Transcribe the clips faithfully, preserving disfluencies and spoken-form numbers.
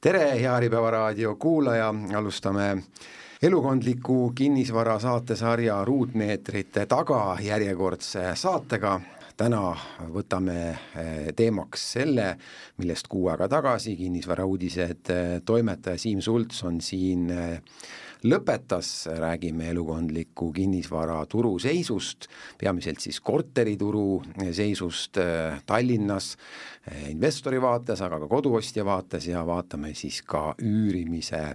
Tere, hea Äripäeva raadio kuulaja, alustame elukondliku kinnisvara saatesarja ruutmeetrite taga järjekordse saatega. Täna võtame teemaks selle, millest kuu aega tagasi kinnisvara uudised toimetaja Siim Sults on siin lõpetas, räägime elukondliku kinnisvara turu seisust, peamiselt siis korterituru seisust Tallinnas, investori vaates, aga ka koduostja vaates ja vaatame siis ka üürimise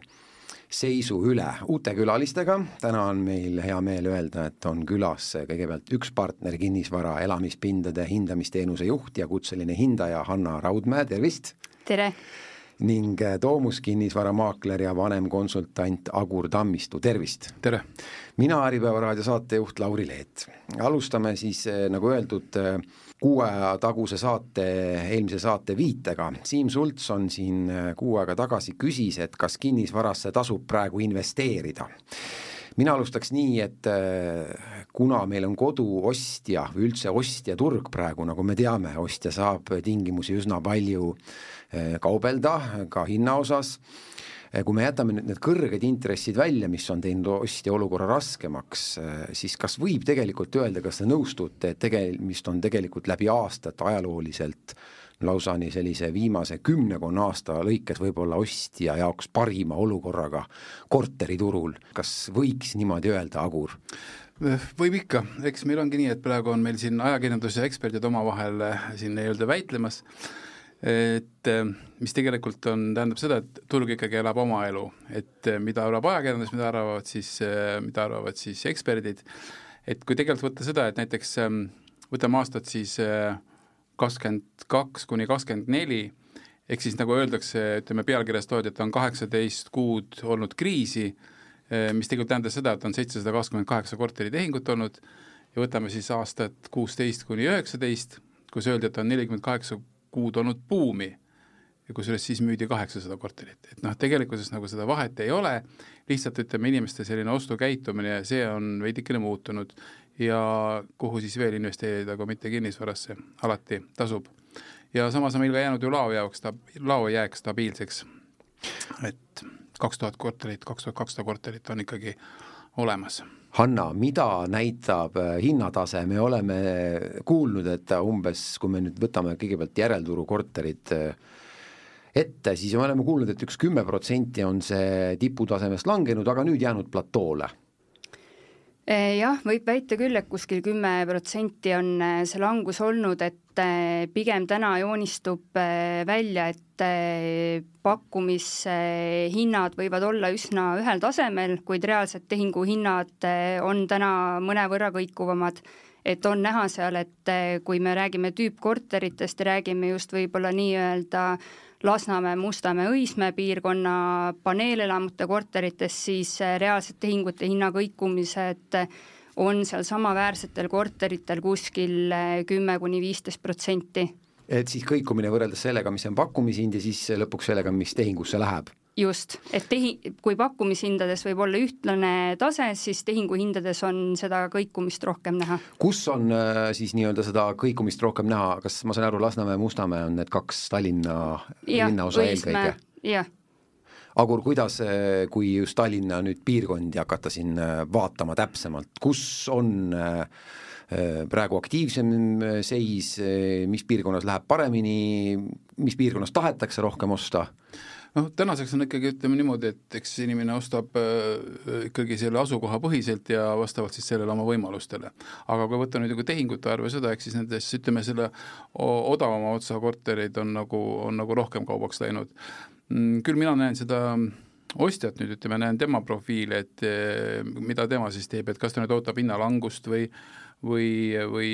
seisu üle uute külalistega. Täna on meil hea meel öelda, et on külas kõigepealt üks partner kinnisvara elamispindade hindamisteenuse juht ja kutseline hindaja Hanna Raudmäe, tervist! Tere! Ning Toomus kinnisvaramaakler ja vanem konsultant Agur Tammistu, tervist! Tere! Mina Äripäeva raadio saatejuht Lauri Leet. Alustame siis, nagu öeldud, kuu aja taguse saate, eelmise saate viitega. Siim Sults on siin kuu aega tagasi küsis, et kas kinnisvarasse tasub praegu investeerida. Mina alustaks nii, et kuna meil on koduostja või üldse ostja turg praegu, nagu me teame, ostja saab tingimusi üsna palju kaubelda, ka hinna osas. Kui me jätame need kõrged intressid välja, mis on teinud ostja olukorra raskemaks, siis kas võib tegelikult öelda, kas te nõustute, et tegemist on tegelikult läbi aastat ajalooliselt lausa nii sellise viimase kümnekonna aasta lõikes võib-olla ostja jaoks parima olukorraga korteriturul. Kas võiks niimoodi öelda, Agur? Võib ikka. Eks meil ongi nii, et praegu on meil siin ajakirjandus ja eksperdid omavahel siin ei-öelda väitlemas, et mis tegelikult on, tähendab seda, et turg ikkagi elab oma elu, et mida arvab ajakirjandus, mida arvavad siis, mida arvavad siis eksperdid, et kui tegelikult võtta seda, et näiteks võtame aastat siis kakskümmend kaks kuni kakskümmend neli, ehk siis nagu öeldakse, ütleme pealkirjas toodi, et on kaheksateist kuud olnud kriisi, mis tegelikult tähendas seda, et on seitsesada kakskümmend kaheksa korteritehingut olnud ja võtame siis aastat kuusteist kuni üheksateist, kus öeldi, et on nelikümmend kaheksa kuud olnud buumi ja kusjuures siis müüdi kaheksasada korterit. Et noh, tegelikkuses nagu seda vahet ei ole, lihtsalt ütleme inimeste selline ostukäitumine ja see on veidikene muutunud ja kuhu siis veel investeerida, kui mitte kinnisvarasse, alati tasub. Ja samas on meil ka jäänud ju lao jaoks, lao jääks stabiilseks, et kaks tuhat korterit, kaks tuhat kakssada korterit on ikkagi olemas. Hanna, mida näitab hinnatase? Me oleme kuulnud, et umbes, kui me nüüd võtame kõigepealt järelturu korterid ette, siis me oleme kuulnud, et üks kümme protsenti on see tiputasemest langenud, aga nüüd jäänud platoole. Jah, võib väita küll, et kuskil kümme protsenti on see langus olnud, et pigem täna joonistub välja, et pakkumishinnad võivad olla üsna ühel tasemel, kuid reaalsed tehinguhinnad on täna mõnevõrra kõikuvamad. Et on näha seal, et kui me räägime tüüpkorteritest ja räägime just võib-olla nii-öelda Lasnamäe, Mustamäe, Õismäe piirkonna paneelelamute korterites, siis reaalsed tehingute hinnakõikumised on seal samaväärsetel korteritel kuskil kümme kuni viisteist protsenti. Et siis kõikumine võrreldes sellega, mis on pakkumishind ja siis lõpuks sellega, mis tehingusse läheb? Just, et tehi, kui pakkumishindades võib olla ühtlane tase, siis tehinguhindades on seda kõikumist rohkem näha. Kus on äh, siis nii-öelda seda kõikumist rohkem näha? Kas ma saan aru, Lasnamäe ja Mustamäe on need kaks Tallinna ja, linnaosa eelkõige? Jah. Agur, kuidas, kui just Tallinna nüüd piirkondi hakata siin vaatama täpsemalt, kus on äh, praegu aktiivsem seis, mis piirkonnas läheb paremini, mis piirkonnas tahetakse rohkem osta? No, tänaseks on ikkagi, ütleme niimoodi, et eks inimene ostab äh, ikkagi selle asukoha põhiselt ja vastavalt siis sellele oma võimalustele. Aga kui võtta nüüd nagu tehingute arve seda, eks siis nendes, ütleme, selle odavama otsa korterid on nagu, on nagu rohkem kaubaks läinud. Küll mina näen seda ostjat nüüd, ütleme, näen tema profiili, et mida tema siis teeb, et kas ta nüüd ootab hinnalangust või, või, või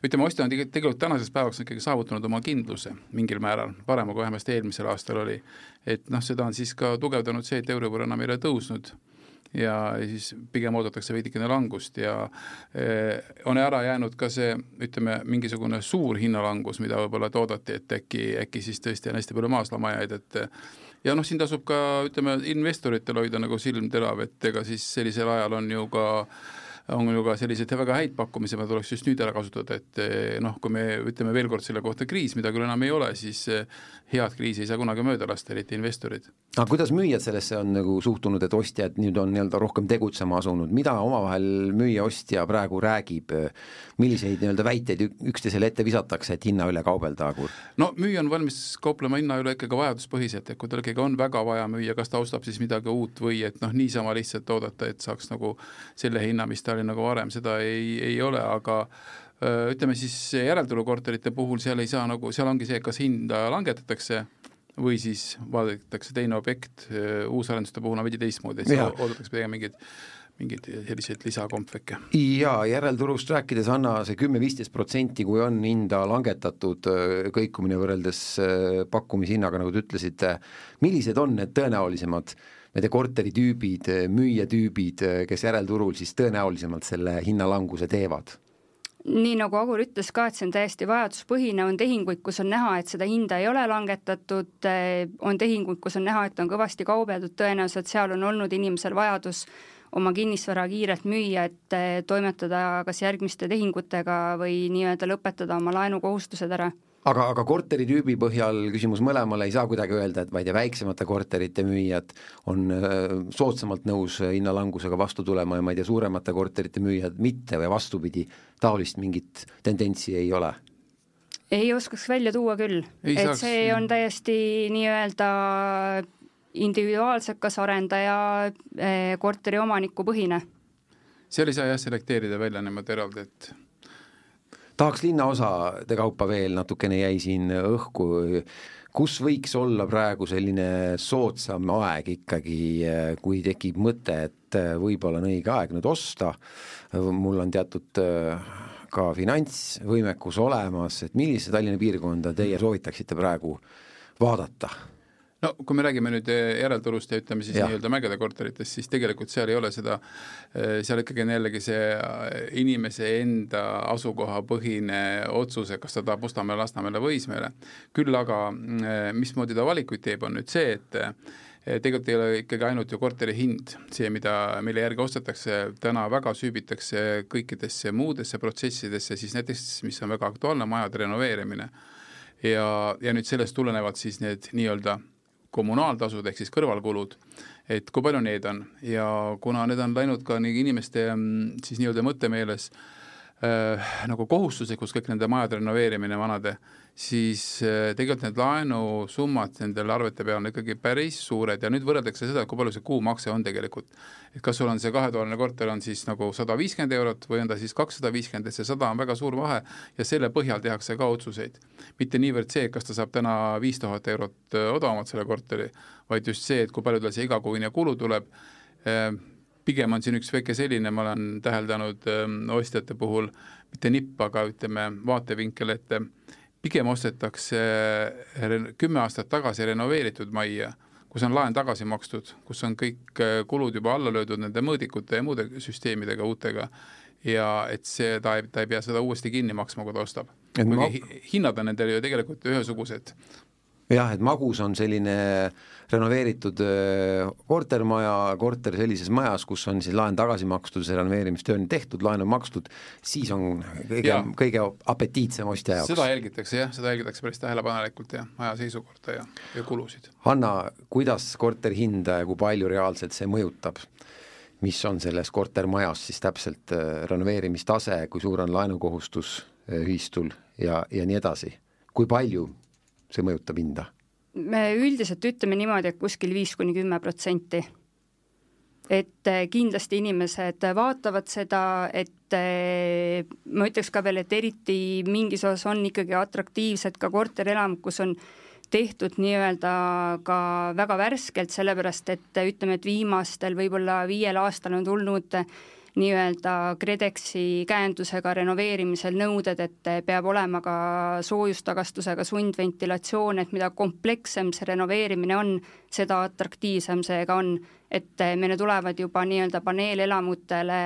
ütleme, ostja on tegelikult tänasest päevaks ikkagi saavutanud oma kindluse mingil määral, parema kui vähemasti eelmisel aastal oli. Et noh, seda on siis ka tugevdanud see, et Euribor enam ei ole tõusnud ja siis pigem oodatakse veidikene langust ja eh, on ära jäänud ka see, ütleme, mingisugune suur hinnalangus, mida võib-olla oodati, et äkki, äkki siis tõesti on hästi palju maaslamajaid, et ja noh, siin tasub ka, ütleme, investoritel hoida nagu silm terav, et ega siis sellisel ajal on ju ka on ju ka sellised väga häid pakkumise, ma tuleks just nüüd ära kasutada, et noh, kui me ütleme veel kord selle kohta kriis, mida küll enam ei ole, siis head kriisi ei saa kunagi mööda lasta, eriti investorid. Aga kuidas müüjad sellesse on nagu suhtunud, et ostjad nüüd on nii-öelda rohkem tegutsema asunud, mida omavahel müüja ostja praegu räägib, milliseid nii-öelda väiteid üksteisele ette visatakse, et hinna üle kaubelda? No müüja on valmis kauplema hinna üle ikkagi vajaduspõhiselt, et kui tal ikkagi on väga vaja müüa, kas ta ostab siis midagi uut või et noh, niisama lihtsalt oodata, et saaks nagu selle hinna, mis ta oli nagu varem, seda ei, ei ole, aga ütleme siis järelturukorterite puhul seal ei saa nagu, seal ongi see, kas hinda langetatakse või siis vaadatakse teine objekt, uusarenduste puhul on veidi teistmoodi, et oodatakse pidega mingid mingid sellised lisakompveke. Ja järelturust rääkides, Anna, see kümme kuni viisteist protsenti, kui on hinda langetatud kõikumine võrreldes pakkumishinnaga, nagu te ütlesite, millised on need tõenäolisemad need korteritüübid, müüjatüübid, kes järelturul siis tõenäolisemalt selle hinnalanguse teevad? Nii nagu Agur ütles ka, et see on täiesti vajaduspõhine, on tehinguid, kus on näha, et seda hinda ei ole langetatud, on tehinguid, kus on näha, et on kõvasti kaubeldud, tõenäoliselt seal on olnud inimesel vajadus oma kinnisvara kiirelt müüa, et toimetada kas järgmiste tehingutega või nii-öelda lõpetada oma laenukohustused ära. Aga, aga korteritüübi põhjal küsimus mõlemale ei saa kuidagi öelda, et ma ei tea, väiksemate korterite müüjad on soodsamalt nõus hinnalangusega vastu tulema ja ma ei tea, suuremate korterite müüjad mitte või vastupidi, taolist mingit tendentsi ei ole? Ei oskaks välja tuua küll, ei et saaks, see on täiesti nii-öelda individuaalselt kas arendaja korteri omaniku põhine. Seal ei saa jah selekteerida välja niimoodi eraldi, et tahaks linnaosade kaupa veel natukene jäi siin õhku, kus võiks olla praegu selline soodsam aeg ikkagi, kui tekib mõte, et võib-olla on õige aeg nüüd osta, mul on teatud ka finantsvõimekus olemas, et millise Tallinna piirkonda teie soovitaksite praegu vaadata? No kui me räägime nüüd järelturust ja ütleme siis ja. nii-öelda mägede korteritest, siis tegelikult seal ei ole seda, seal ikkagi on jällegi see inimese enda asukoha põhine otsuse, kas ta tahab Mustamäele, Lasnamäele või Õismäele. Küll aga mismoodi ta valikuid teeb, on nüüd see, et tegelikult ei ole ikkagi ainult ju korteri hind, see, mida meile järgi ostetakse, täna väga süübitakse kõikidesse muudesse protsessidesse, siis näiteks, mis on väga aktuaalne, majade renoveerimine. Ja, ja nüüd sellest tulenevad siis need nii-öelda kommunaaltasud ehk siis kõrvalkulud, et kui palju need on ja kuna need on läinud ka nii inimeste siis nii-öelda mõttemeeles äh, nagu kohustuslikus kõik nende majade renoveerimine vanade, siis äh, tegelikult need laenusummad nendel arvete peal on ikkagi päris suured ja nüüd võrreldakse seda, kui palju see kuumakse on tegelikult. Et kas sul on see kahetoaline korter on siis nagu sada viiskümmend eurot või on ta siis kakssada viiskümmend, et see sada on väga suur vahe ja selle põhjal tehakse ka otsuseid. Mitte niivõrd see, kas ta saab täna viis tuhat eurot odavamalt selle korteri, vaid just see, et kui palju tal see igakuine kulu tuleb. Pigem on siin üks väike selline, ma olen täheldanud ostjate puhul, mitte nipp, aga ütleme vaatevinkel, et pigem ostetakse kümme aastat tagasi renoveeritud majja, kus on laen tagasi makstud, kus on kõik kulud juba alla löödud nende mõõdikute ja muude süsteemidega uutega ja et see, ta ei, ta ei pea seda uuesti kinni maksma, kui ta ostab. Ma... Hinnad on nendel ju tegelikult ühesugused. Jah, et Magus on selline renoveeritud kortermaja, korter sellises majas, kus on siis laen tagasi makstud, see renoveerimistöö on tehtud, laen on makstud, siis on kõige, kõige apetiitsem ostja jaoks. Seda jälgitakse, jah, seda jälgitakse päris tähelepanelikult ja maja seisukorda ja, ja kulusid. Hanna, kuidas korter hinda ja kui palju reaalselt see mõjutab? Mis on selles kortermajas siis täpselt renoveerimistase, kui suur on laenukohustus ühistul ja, ja nii edasi? Kui palju see mõjutab hinda? Me üldiselt ütleme niimoodi, et kuskil viis kuni kümme protsenti. Et kindlasti inimesed vaatavad seda, et ma ütleks ka veel, et eriti mingis osas on ikkagi atraktiivsed ka korterelamud, kus on tehtud nii-öelda ka väga värskelt, sellepärast et ütleme, et viimastel võib-olla viiel aastal on tulnud nii-öelda KredExi käendusega renoveerimisel nõuded, et peab olema ka soojustagastusega sundventilatsioon, et mida komplekssem see renoveerimine on, seda atraktiivsem see ka on, et meile tulevad juba nii-öelda paneelelamutele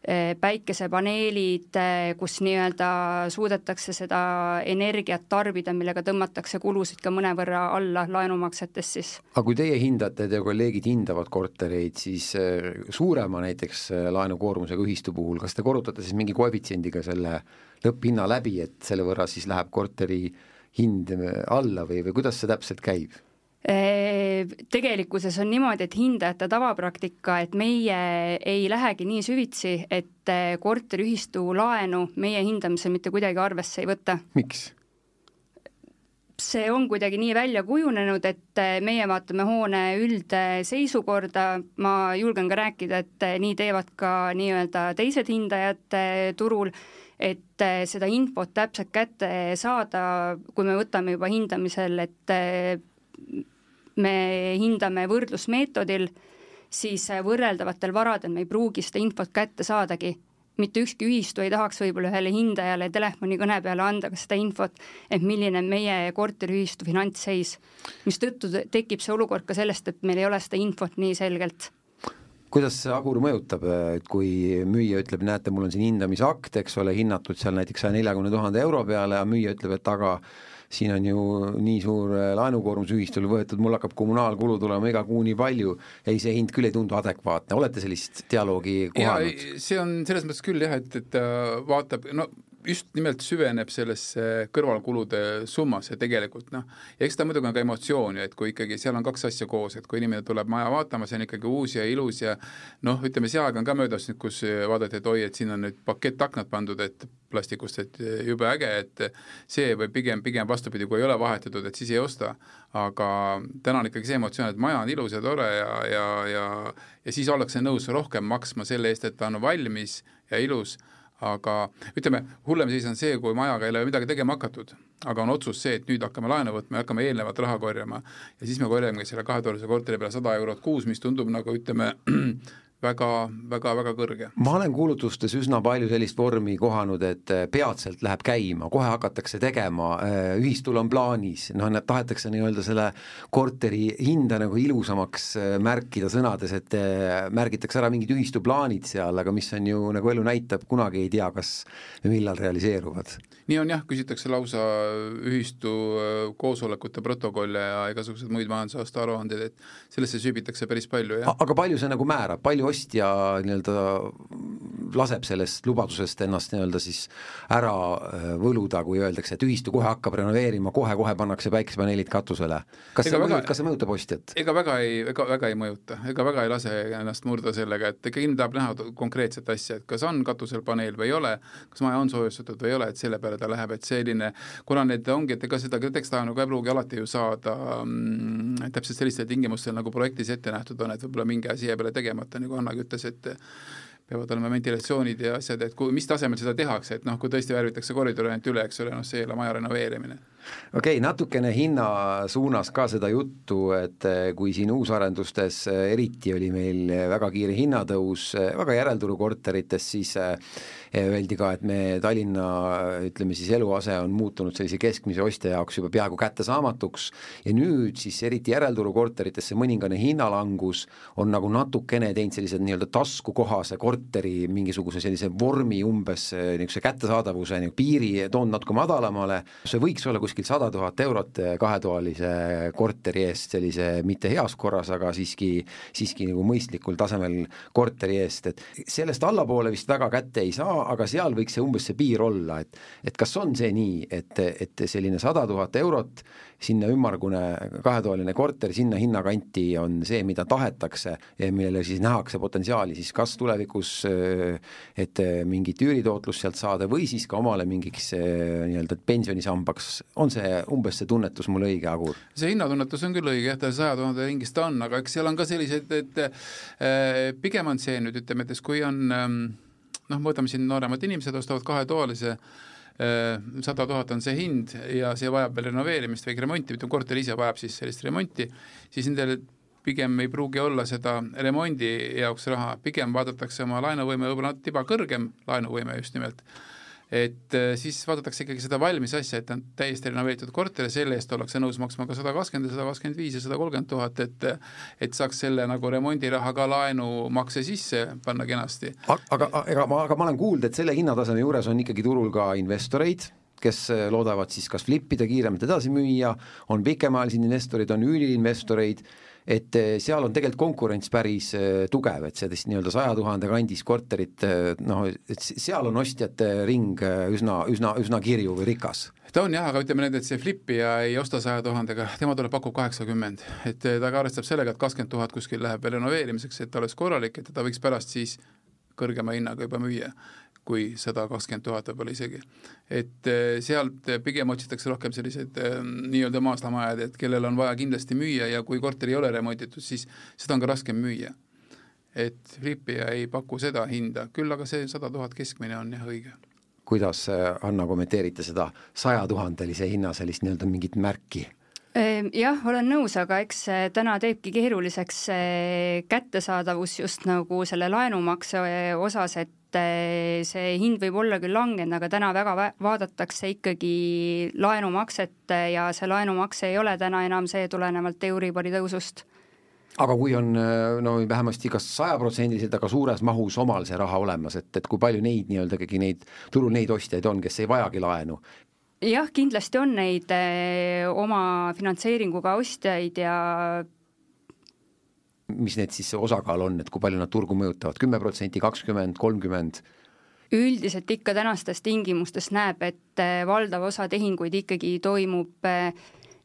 päikesepaneelid, kus nii-öelda suudetakse seda energiat tarbida, millega tõmmatakse kulusid ka mõnevõrra alla laenumaksetes siis. Aga kui teie hindate, teie kolleegid hindavad kortereid, siis suurema näiteks laenukoormusega ühistu puhul, kas te korrutate siis mingi koefitsiendiga selle lõpphinna läbi, et selle võrra siis läheb korteri hind alla või, või kuidas see täpselt käib? Tegelikkuses on niimoodi, et hindajate tavapraktika, et meie ei lähegi nii süvitsi, et korteriühistu laenu meie hindamisel mitte kuidagi arvesse ei võta. Miks? See on kuidagi nii välja kujunenud, et meie vaatame hoone üldseisukorda, ma julgen ka rääkida, et nii teevad ka nii-öelda teised hindajad turul, et seda infot täpselt kätte saada, kui me võtame juba hindamisel, et me hindame võrdlusmeetodil, siis võrreldavatel varadel me ei pruugi seda infot kätte saadagi. Mitte ükski ühistu ei tahaks võib-olla ühele hindajale telefonikõne peale anda ka seda infot, et milline on meie korteriühistu finantsseis, mis tõttu tekib see olukord ka sellest, et meil ei ole seda infot nii selgelt. Kuidas see Agur mõjutab, et kui müüja ütleb, näete, mul on siin hindamisakt, eks ole, hinnatud seal näiteks saja neljakümne tuhande euro peale ja müüja ütleb, et aga siin on ju nii suur laenukoormus ühistul võetud, mul hakkab kommunaalkulu tulema iga kuu nii palju, ei, see hind küll ei tundu adekvaatne. Olete sellist dialoogi kohanud? Ja, see on selles mõttes küll jah, et, et vaatab, no just nimelt süveneb sellesse kõrvalkulude summasse tegelikult, noh, ja eks ta muidugi on ka emotsioon, et kui ikkagi seal on kaks asja koos, et kui inimene tuleb maja vaatama, see on ikkagi uus ja ilus ja noh, ütleme, see aeg on ka möödas nüüd, kus vaadati, et oi, et siin on nüüd pakett aknad pandud, et plastikust, et jube äge, et see või pigem, pigem vastupidi, kui ei ole vahetatud, et siis ei osta, aga täna on ikkagi see emotsioon, et maja on ilus ja tore ja, ja, ja, ja siis ollakse nõus rohkem maksma selle eest, et ta on valmis ja ilus, aga ütleme, hullem siis on see, kui majaga ei ole midagi tegema hakatud, aga on otsus see, et nüüd hakkame laenu võtma ja hakkame eelnevat raha korjama ja siis me korjame selle kahetoalise korteri peale sada eurot kuus, mis tundub nagu ütleme väga, väga, väga kõrge. Ma olen kuulutustes üsna palju sellist vormi kohanud, et peatselt läheb käima, kohe hakatakse tegema, ühistul on plaanis, noh, need tahetakse nii-öelda selle korteri hinda nagu ilusamaks märkida sõnades, et märgitakse ära mingid ühistu plaanid seal, aga mis on ju, nagu elu näitab, kunagi ei tea, kas millal realiseeruvad. Nii on jah, küsitakse lausa ühistu koosolekute protokolle ja igasugused muid majandusaasta aruanded, et sellesse süübitakse päris palju. Jah. Aga palju see nagu määrab, palju ostja nii-öelda laseb sellest lubadusest ennast nii-öelda siis ära võluda, kui öeldakse, et ühistu kohe hakkab renoveerima, kohe-kohe pannakse päikesepaneelid katusele. Kas see, mõjut, kas see mõjutab ostjat? Ega väga ei, ega, väga ei mõjuta, ega väga ei lase ennast murda sellega, et ikka inimene tahab näha konkreetset asja, et kas on katusel paneel või ei ole, kas maja on soojustatud või ei ole, et selle peale ta läheb, et selline, kuna need ongi, et ega seda tekstaanu ka ei pruugi alati ju saada mm, täpselt sellistel tingimustel, nagu projektis ette nähtud on, et võib-olla mingi asi jää peale tegemata, nagu Annagi ütles, et peavad olema ventilatsioonid ja asjad, et kui, mis tasemel seda tehakse, et noh, kui tõesti värvitakse koridori ainult üle, eks ole, noh, see ei ole maja renoveerimine. Okei, okay, natukene hinna suunas ka seda juttu, et kui siin uusarendustes eriti oli meil väga kiire hinnatõus, väga järelturu korterites, siis öeldi ka, et me Tallinna, ütleme siis eluase on muutunud sellise keskmise ostja jaoks juba peaaegu kättesaamatuks ja nüüd siis eriti järelturu korteritesse mõningane hinnalangus on nagu natukene teinud sellised nii-öelda taskukohase korteri mingisuguse sellise vormi umbes niisuguse kättesaadavuse nii piiri toon natuke madalamale. See võiks olla kuskil sada tuhat eurot kahetoalise korteri eest sellise mitte heas korras, aga siiski, siiski nagu mõistlikul tasemel korteri eest, et sellest allapoole vist väga kätte ei saa, aga seal võiks see umbes see piir olla, et, et kas on see nii, et, et selline sada tuhat eurot sinna ümmargune kahetoaline korter, sinna hinnakanti on see, mida tahetakse ja millele siis nähakse potentsiaali, siis kas tulevikus, et mingit üüritootlust sealt saada või siis ka omale mingiks nii-öelda pensionisambaks, on see umbes see tunnetus mul õige, Agur? See hinnatunnetus on küll õige, jah, ta saja tuhande ringis ta on, aga eks seal on ka sellised, et pigem on see nüüd, ütleme, et kui on noh, võtame siin nooremad inimesed, ostavad kahetoalise, sada tuhat on see hind ja see vajab veel renoveerimist, väike remonti, ütleme, korter ise vajab siis sellist remonti, siis nendel pigem ei pruugi olla seda remondi jaoks raha, pigem vaadatakse oma laenuvõime võib-olla tiba kõrgem, laenuvõime just nimelt, et siis vaadatakse ikkagi seda valmis asja, et on täiesti renoveeritud korter ja selle eest ollakse nõus maksma ka sada kakskümmend, sada kakskümmend viis ja sada kolmkümmend tuhat, et, et saaks selle nagu remondiraha ka laenu makse sisse panna kenasti. Aga, aga, ma, aga ma olen kuulnud, et selle hinnataseme juures on ikkagi turul ka investoreid, kes loodavad siis kas flippida, kiiremalt edasi müüa, on pikemaalised investorid, on üüriinvestoreid, et seal on tegelikult konkurents päris tugev, et see nii-öelda saja tuhande kandis korterit, noh, et seal on ostjate ring üsna, üsna, üsna kirju või rikas. Ta on jah, aga ütleme need, et see flippija ei osta saja tuhandega, tema tuleb pakub kaheksakümmend, et ta ka arvestab sellega, et kakskümmend tuhat kuskil läheb veel renoveerimiseks, et ta oleks korralik, et ta võiks pärast siis kõrgema hinnaga juba müüa kui sada kakskümmend tuhat võib-olla isegi. Et sealt pigem otsitakse rohkem sellised nii-öelda maaslamajad, et kellel on vaja kindlasti müüa ja kui korter ei ole remonditud, siis seda on ka raskem müüa. Et flipija ei paku seda hinda, küll aga see sada tuhat keskmine on jah õige. Kuidas, Anna, kommenteerite seda saja tuhandelise hinna sellist nii-öelda mingit märki? Jah, olen nõus, aga eks täna teebki keeruliseks kättesaadavus just nagu selle laenumakse osas, et see hind võib olla küll langenud, aga täna väga vaadatakse ikkagi laenumakset ja see laenumakse ei ole täna enam see tulenevalt Euribori tõusust. Aga kui on no, vähemasti kas sajaprotsendiliselt, aga suures mahus omal see raha olemas, et, et kui palju neid nii-öelda kõigi neid, turul neid ostjaid on, kes ei vajagi laenu? Jah, kindlasti on neid oma finantseeringuga ostjaid ja mis need siis osakaal on, et kui palju nad turgu mõjutavad, kümme protsenti, kakskümmend, kolmkümmend? Üldiselt ikka tänastes tingimustes näeb, et valdav osa tehinguid ikkagi toimub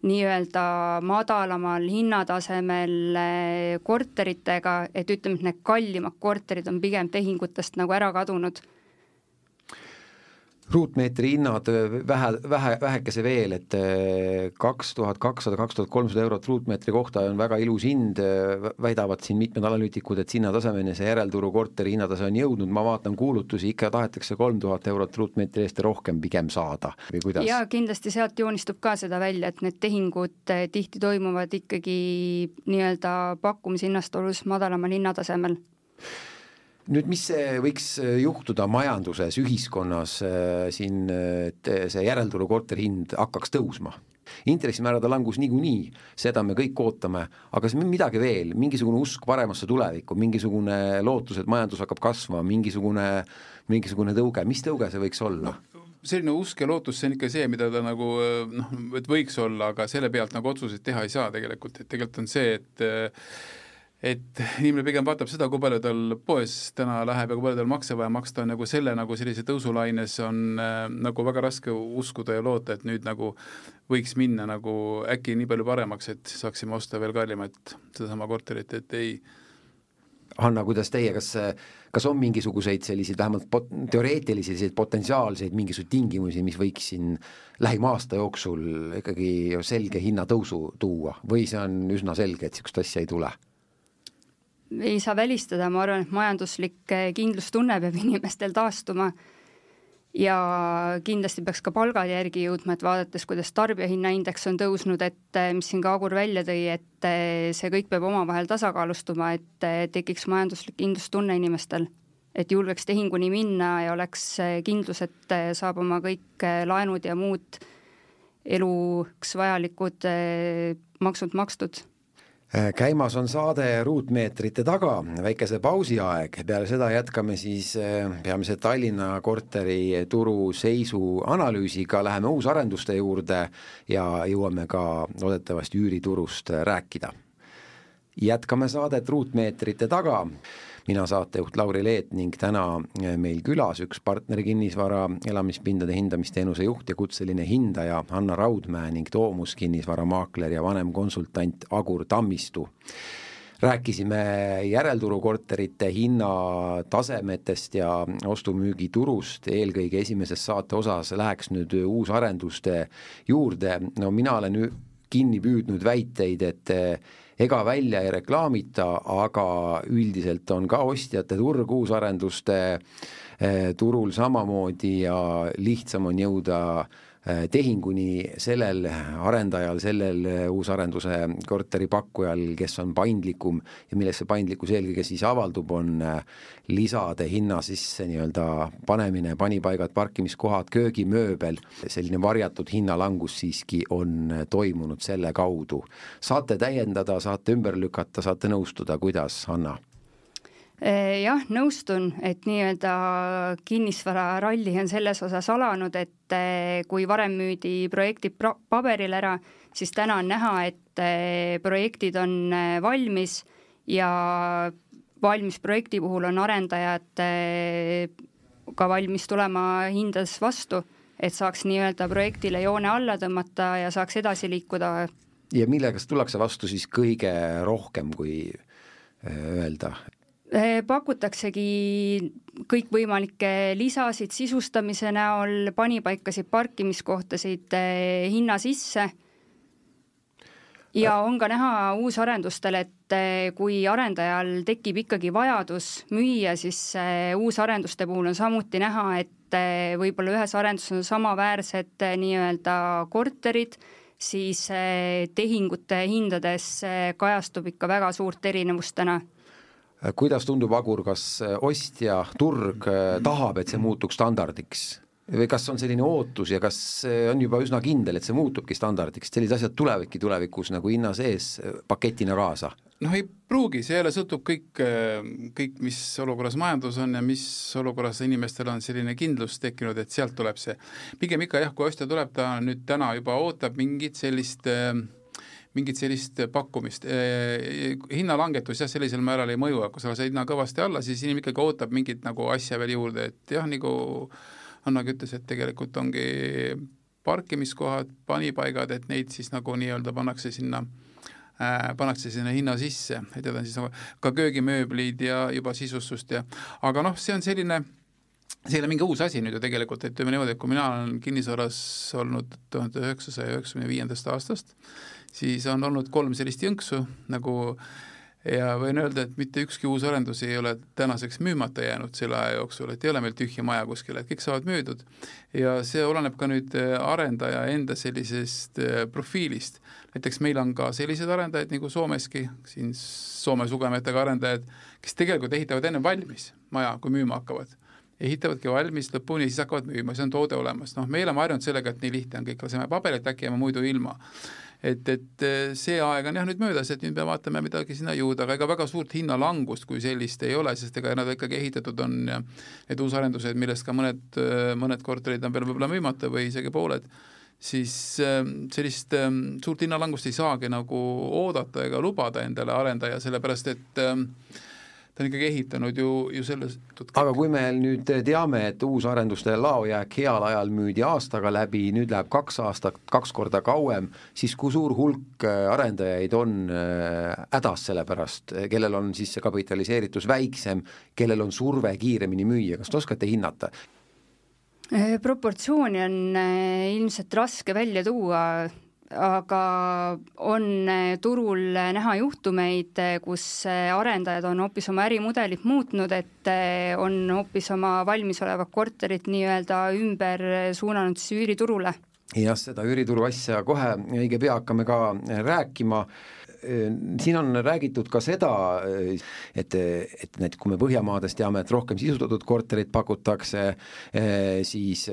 nii-öelda madalamal hinnatasemel korteritega, et ütleme, et need kallimad korterid on pigem tehingutest nagu ära kadunud. Ruutmeetri hinnad vähe, vähe, vähekese veel, et kaks tuhat kakssada, kaks tuhat kolmsada eurot ruutmeetri kohta on väga ilus hind, väidavad siin mitmed analüütikud, et sinna tasemeni see järelturu korteri hinnatase on jõudnud, ma vaatan kuulutusi, ikka tahetakse kolm tuhat eurot ruutmeetri eest rohkem pigem saada, või kuidas? Ja kindlasti sealt joonistub ka seda välja, et need tehingud tihti toimuvad ikkagi nii-öelda pakkumishinnast olus madalamal hinnatasemel. Nüüd, mis see võiks juhtuda majanduses, ühiskonnas siin, et see järelturu korteri hind hakkaks tõusma? Intressimäärade langus niikuinii, seda me kõik ootame, aga see midagi veel, mingisugune usk paremasse tulevikku, mingisugune lootus, et majandus hakkab kasvama, mingisugune, mingisugune tõuge, mis tõuge see võiks olla? No, selline usk ja lootus, see on ikka see, mida ta nagu, noh, et võiks olla, aga selle pealt nagu otsuseid teha ei saa tegelikult, et tegelikult on see, et et inimene pigem vaatab seda, kui palju tal poes täna läheb ja kui palju tal makse vaja maksta on, nagu selle nagu sellise tõusulaines on äh, nagu väga raske uskuda ja loota, et nüüd nagu võiks minna nagu äkki nii palju paremaks, et saaksime osta veel kallimat seda sama korterit, et ei. Hanna, kuidas teie, kas, kas on mingisuguseid selliseid vähemalt pot, teoreetilisi selliseid potentsiaalseid mingisuguseid tingimusi, mis võiks siin lähima aasta jooksul ikkagi selge hinnatõusu tuua või see on üsna selge, et sellist asja ei tule? Ei saa välistada, ma arvan, et majanduslik kindlustunne peab inimestel taastuma ja kindlasti peaks ka palgad järgi jõudma, et vaadates, kuidas tarbijahinnaindeks on tõusnud, et mis siin ka Agur välja tõi, et see kõik peab omavahel tasakaalustuma, et tekiks majanduslik kindlustunne inimestel, et julgeks tehinguni minna ja oleks kindlus, et saab oma kõik laenud ja muud eluks vajalikud maksud makstud. Käimas on saade ruutmeetrite taga, väikese pausi aeg, peale seda jätkame siis peamise Tallinna korteri turu seisu analüüsiga, läheme uusarenduste juurde ja jõuame ka loodetavasti üüriturust rääkida. Jätkame saadet ruutmeetrite taga. Mina saatejuht Lauri Leet ning täna meil külas üks partneri kinnisvara elamispindade hindamisteenuse juht ja kutseline hindaja Hanna Raudmäe ning Toomus kinnisvaramaakler ja vanem konsultant Agur Tammistu. Rääkisime järelturu korterite hinnatasemetest ja ostumüügiturust, eelkõige esimeses saate osas läheks nüüd uusarenduste juurde. No mina olen kinni püüdnud väiteid, et ega välja ei reklaamita, aga üldiselt on ka ostjate turg uusarenduste turul samamoodi ja lihtsam on jõuda tehinguni sellel arendajal, sellel uusarenduse korteripakkujal, kes on paindlikum ja millesse paindlikkus eelkõige siis avaldub, on lisade hinna sisse nii-öelda panemine, panipaigad, parkimiskohad, köögimööbel, selline varjatud hinnalangus siiski on toimunud selle kaudu. Saate täiendada, saate ümber lükata, saate nõustuda, kuidas, Anna? Jah, nõustun, et nii-öelda kinnisvara ralli on selles osas alanud, et kui varem müüdi projektid paberil ära, siis täna on näha, et projektid on valmis ja valmis projekti puhul on arendajad ka valmis tulema hindades vastu, et saaks nii-öelda projektile joone alla tõmmata ja saaks edasi liikuda. Ja millega tullakse vastu siis kõige rohkem, kui öelda? Pakutaksegi kõikvõimalikke lisasid sisustamise näol, panipaikasid, parkimiskohtasid hinna sisse ja on ka näha uusarendustel, et kui arendajal tekib ikkagi vajadus müüa, siis uusarenduste puhul on samuti näha, et võib-olla ühes arenduses on samaväärsed nii-öelda korterid, siis tehingute hindades kajastub ikka väga suurt erinevust täna. Kuidas tundub, Agur, kas ostja turg tahab, et see muutuks standardiks? Või kas on selline ootus ja kas on juba üsna kindel, et see muutubki standardiks? Sellised asjad tulevadki tulevikus nagu hinna sees paketina kaasa? Noh, ei pruugi, see jälle sõltub kõik, kõik, mis olukorras majandus on ja mis olukorras inimestel on selline kindlus tekkinud, et sealt tuleb see. Pigem ikka jah, kui ostja tuleb, ta nüüd täna juba ootab mingit sellist mingit sellist pakkumist. Hinnalangetus jah, sellisel määral ei mõju, kui sa see hinna kõvasti alla, siis inimene ikkagi ootab mingit nagu asja veel juurde, et jah, nagu Annagi ütles, et tegelikult ongi parkimiskohad, panipaigad, et neid siis nagu nii-öelda pannakse sinna äh, pannakse sinna hinna sisse, et need on siis nagu ka köögimööblid ja juba sisustust ja aga noh, see on selline see ei ole mingi uus asi nüüd ju tegelikult, et ütleme niimoodi, et kui mina olen kinnisvaras olnud tuhande üheksasaja üheksakümne viiendast aastast, siis on olnud kolm sellist jõnksu nagu ja võin öelda, et mitte ükski uus arendus ei ole tänaseks müümata jäänud selle aja jooksul, et ei ole meil tühja maja kuskil, et kõik saavad müüdud ja see oleneb ka nüüd arendaja enda sellisest profiilist. Näiteks meil on ka sellised arendajad nagu Soomeski, siin Soome sugemetega arendajad, kes tegelikult ehitavad enne valmis maja, kui müüma hakkavad. Ehitavadki valmis lõpuni ja siis hakkavad müüma, see on toode olemas. Noh, me oleme harjunud sellega, et nii lihtne on kõik, laseme paberit äkki jääme muidu ilma. Et, et see aeg on jah nüüd möödas, et nüüd me vaatame midagi sinna juurde, aga ega väga suurt hinnalangust kui sellist ei ole, sest ega nad ikkagi ehitatud on ja need uusarendused, millest ka mõned, mõned korterid on veel võib-olla müümata või isegi pooled, siis sellist suurt hinnalangust ei saagi nagu oodata ega lubada endale arendaja, sellepärast et ta on ikkagi ehitanud ju, ju selles... Aga kui me nüüd teame, et uusarenduste laojääk heal ajal müüdi aastaga läbi, nüüd läheb kaks aastat, kaks korda kauem, siis kui suur hulk arendajaid on hädas selle pärast, kellel on siis see kapitaliseeritus väiksem, kellel on surve kiiremini müüa, kas te oskate hinnata? Proportsiooni on ilmselt raske välja tuua, aga on turul näha juhtumeid, kus arendajad on hoopis oma ärimudelit muutnud, et on hoopis oma valmisolevat korterit nii-öelda ümber suunanud siis üüriturule. Jah, seda üürituru asja kohe õige pea hakkame ka rääkima. Siin on räägitud ka seda, et, et need, kui me Põhjamaades teame, et rohkem sisustatud korterit pakutakse, siis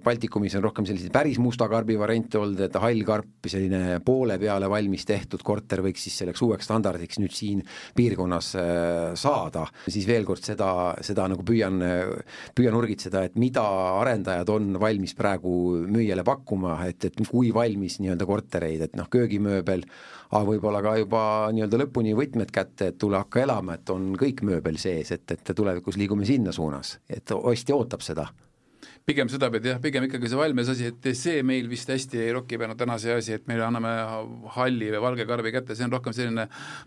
Baltikumis on rohkem selliseid päris musta karbi variante olnud, et hall karp, selline poole peale valmis tehtud korter võiks siis selleks uueks standardiks nüüd siin piirkonnas saada. Siis veel kord seda, seda nagu püüan, püüan urgitseda, et mida arendajad on valmis praegu müüjale pakkuma, et, et kui valmis nii-öelda kortereid, et noh, köögimööbel, aga võib-olla ka juba nii-öelda lõpuni võtmed kätte, et tule hakka elama, et on kõik mööbel sees, et, et tulevikus liigume sinna suunas, et ostja ootab seda. Pigem seda pead, jah, pigem ikkagi see valmes asi, et see meil vist hästi ei roki peanud täna see asi, et meil anname halli või valge karbi kätte, see on rohkem selline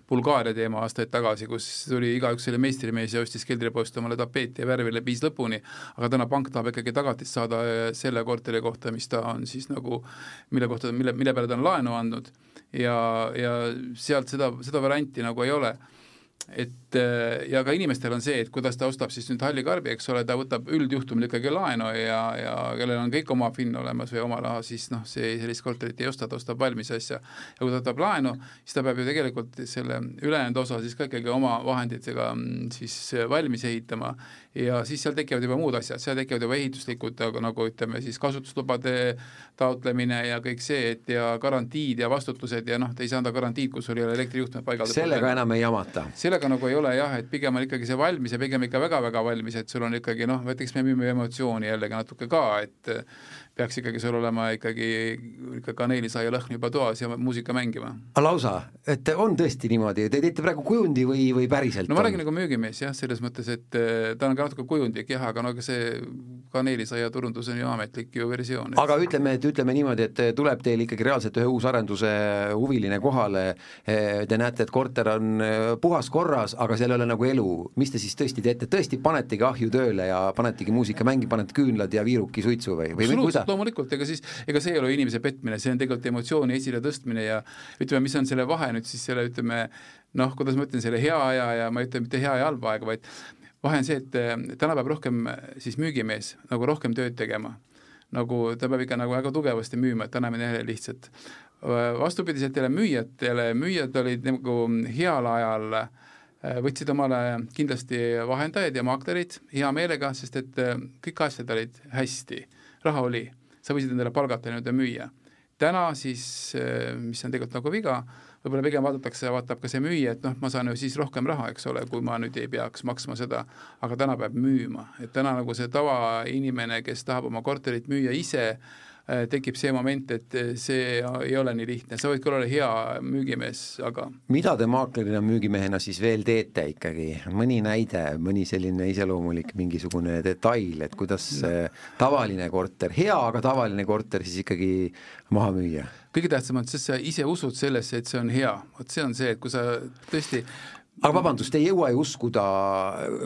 Bulgaaria teema aastaid tagasi, kus tuli igaüks selle meistrimees ja ostis keldripoest omale tapeeti ja värvile viis lõpuni, aga täna pank tahab ikkagi tagatist saada selle korteri kohta, mis ta on siis nagu, mille kohta, mille, mille peale ta on laenu andnud ja, ja sealt seda, seda varianti nagu ei ole. et ja ka inimestel on see, et kuidas ta ostab siis nüüd hallikarbi, eks ole, ta võtab üldjuhtumil ikkagi laenu ja, ja kellel on kõik oma fin olemas või oma raha, siis noh, see sellist korterit ei osta, ta ostab valmis asja. Ja kui ta võtab laenu, siis ta peab ju tegelikult selle ülejäänud osa siis ka ikkagi oma vahenditega siis valmis ehitama ja siis seal tekivad juba muud asjad, seal tekivad juba ehituslikud, nagu ütleme siis kasutuslubade taotlemine ja kõik see, et ja garantiid ja vastutused ja noh, te ei saa anda garantiid, kus sul ei ole elektrijuhtme paigaldatud. Sellega enam ei jamata. Sellega nagu ei ole jah, et pigem on ikkagi see valmis ja pigem ikka väga-väga valmis, et sul on ikkagi noh, võtaks me müüme emotsiooni jällegi natuke ka, et peaks ikkagi sul olema ikkagi ikka kaneelisaia lõhn juba toas ja muusika mängima. Lausa, et on tõesti niimoodi, te teete praegu kujundi või, või päriselt? No ma räägin nagu müügimees jah, selles mõttes, et ta on ka natuke kujundlik jah, aga no see kaneelisaia turundus on ju ametlik ju versioon. Aga ütleme, et ütleme niimoodi, et tuleb teil ikkagi reaalselt ühe uusarenduse huviline kohale, te näete, et korter on puhas korras, aga seal ei ole nagu elu. Mis te siis tõesti teete? Tõesti panetegi ahju tööle ja panetegi muusika mängi, panete küünlad ja viiruki suitsu või, või absoluutselt, loomulikult, ega siis, ega see ei ole inimese petmine, see on tegelikult emotsiooni esile tõstmine ja ütleme, mis on selle vahe nüüd siis selle, ütleme, noh, kuidas ma ütlen, selle hea aja ja ma ütlen mitte hea ja halba aega, vaid vahe on see, et täna peab rohkem siis müügimees nagu rohkem tööd tegema. Nagu ta peab ikka nagu väga tugevasti müüma, et täna me neile lihtsalt vastupidiselt jälle müüjatele, müüjad olid nagu heal ajal võtsid omale kindlasti vahendajaid ja maaklerid hea meelega, sest et kõik asjad olid hästi, raha oli, sa võisid endale palgata nüüd ja müüa. Täna siis, mis on tegelikult nagu viga, võib-olla pigem vaadatakse ja vaatab ka see müüja, et noh, ma saan ju siis rohkem raha, eks ole, kui ma nüüd ei peaks maksma seda, aga täna peab müüma. Et täna nagu see tava inimene, kes tahab oma korterit müüa ise, tekib see moment, et see ei ole nii lihtne, sa võid küll olla hea müügimees, aga mida te maaklerina müügimehena siis veel teete ikkagi? Mõni näide, mõni selline iseloomulik mingisugune detail, et kuidas no. tavaline korter, hea, aga tavaline korter siis ikkagi maha müüa? Kõige tähtsam on, sest sa ise usud sellesse, et see on hea. Vot see on see, et kui sa tõesti aga vabandust, te ei jõua ju uskuda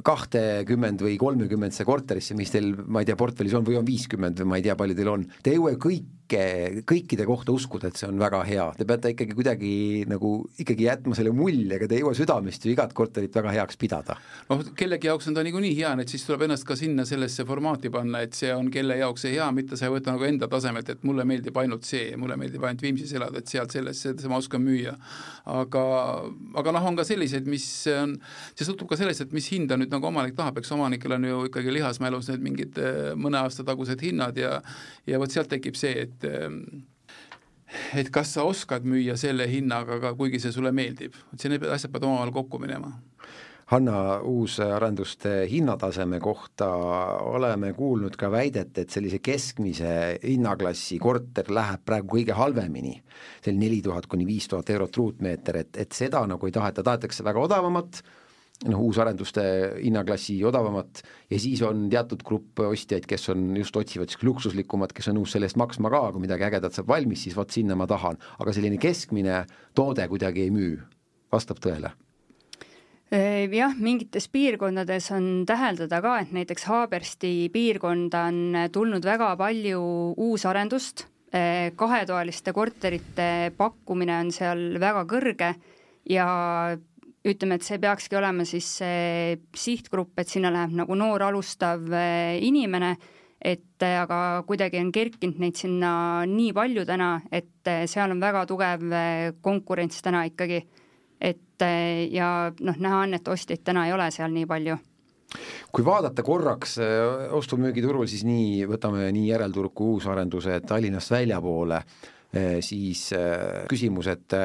kahtekümmend või kolmekümendse korterisse, mis teil, ma ei tea, portfellis on või on viiskümmend või ma ei tea, palju teil on. Te ei jõua ju kõike, kõikide kohta uskuda, et see on väga hea. Te peate ikkagi kuidagi nagu ikkagi jätma selle mulje, aga te ei jõua südamest ju igat korterit väga heaks pidada. No kellegi jaoks on ta niikuinii hea, et siis tuleb ennast ka sinna sellesse formaati panna, et see on kelle jaoks see hea, mitte sa ei võta nagu enda tasemelt, et mulle meeldib ainult see, mulle meeldib ainult Viimsis elada, et sealt sellest ma oskan müüa. Aga, aga noh, on ka sellised, mis on, see sõltub ka sellest, et mis hinda nüüd nagu omanik tahab, eks omanikel on ju ikkagi lihasmälus need mingid mõne aasta tagused hinnad ja, ja võt sealt tekib see, et et kas sa oskad müüa selle hinnaga, aga kuigi see sulle meeldib. Et see need asjad pead omavahel kokku minema. Hanna, uusarenduste hinnataseme kohta oleme kuulnud ka väidet, et sellise keskmise hinnaklassi korter läheb praegu kõige halvemini. See on neli tuhat kuni viis tuhat eurot ruutmeeter, et, et seda nagu ei taheta, tahetakse väga odavamat, noh, uusarenduste hinnaklassi odavamat ja siis on teatud grupp ostjaid, kes on just otsivad luksuslikumat, kes on nõus selle eest maksma ka, kui midagi ägedat saab valmis, siis vaat sinna ma tahan. Aga selline keskmine toode kuidagi ei müü. Vastab tõele? Jah, mingites piirkondades on täheldada ka, et näiteks Haabersti piirkonda on tulnud väga palju uusarendust, kahetoaliste korterite pakkumine on seal väga kõrge ja ütleme, et see peakski olema siis see sihtgrupp, et sinna läheb nagu noor alustav inimene, et aga kuidagi on kerkinud neid sinna nii palju täna, et seal on väga tugev konkurents täna ikkagi, et ja noh, näha on, et ostjaid täna ei ole seal nii palju. Kui vaadata korraks ostumüügiturul, siis nii, võtame nii järelturg kui uusarenduse Tallinnast väljapoole, siis küsimus, et,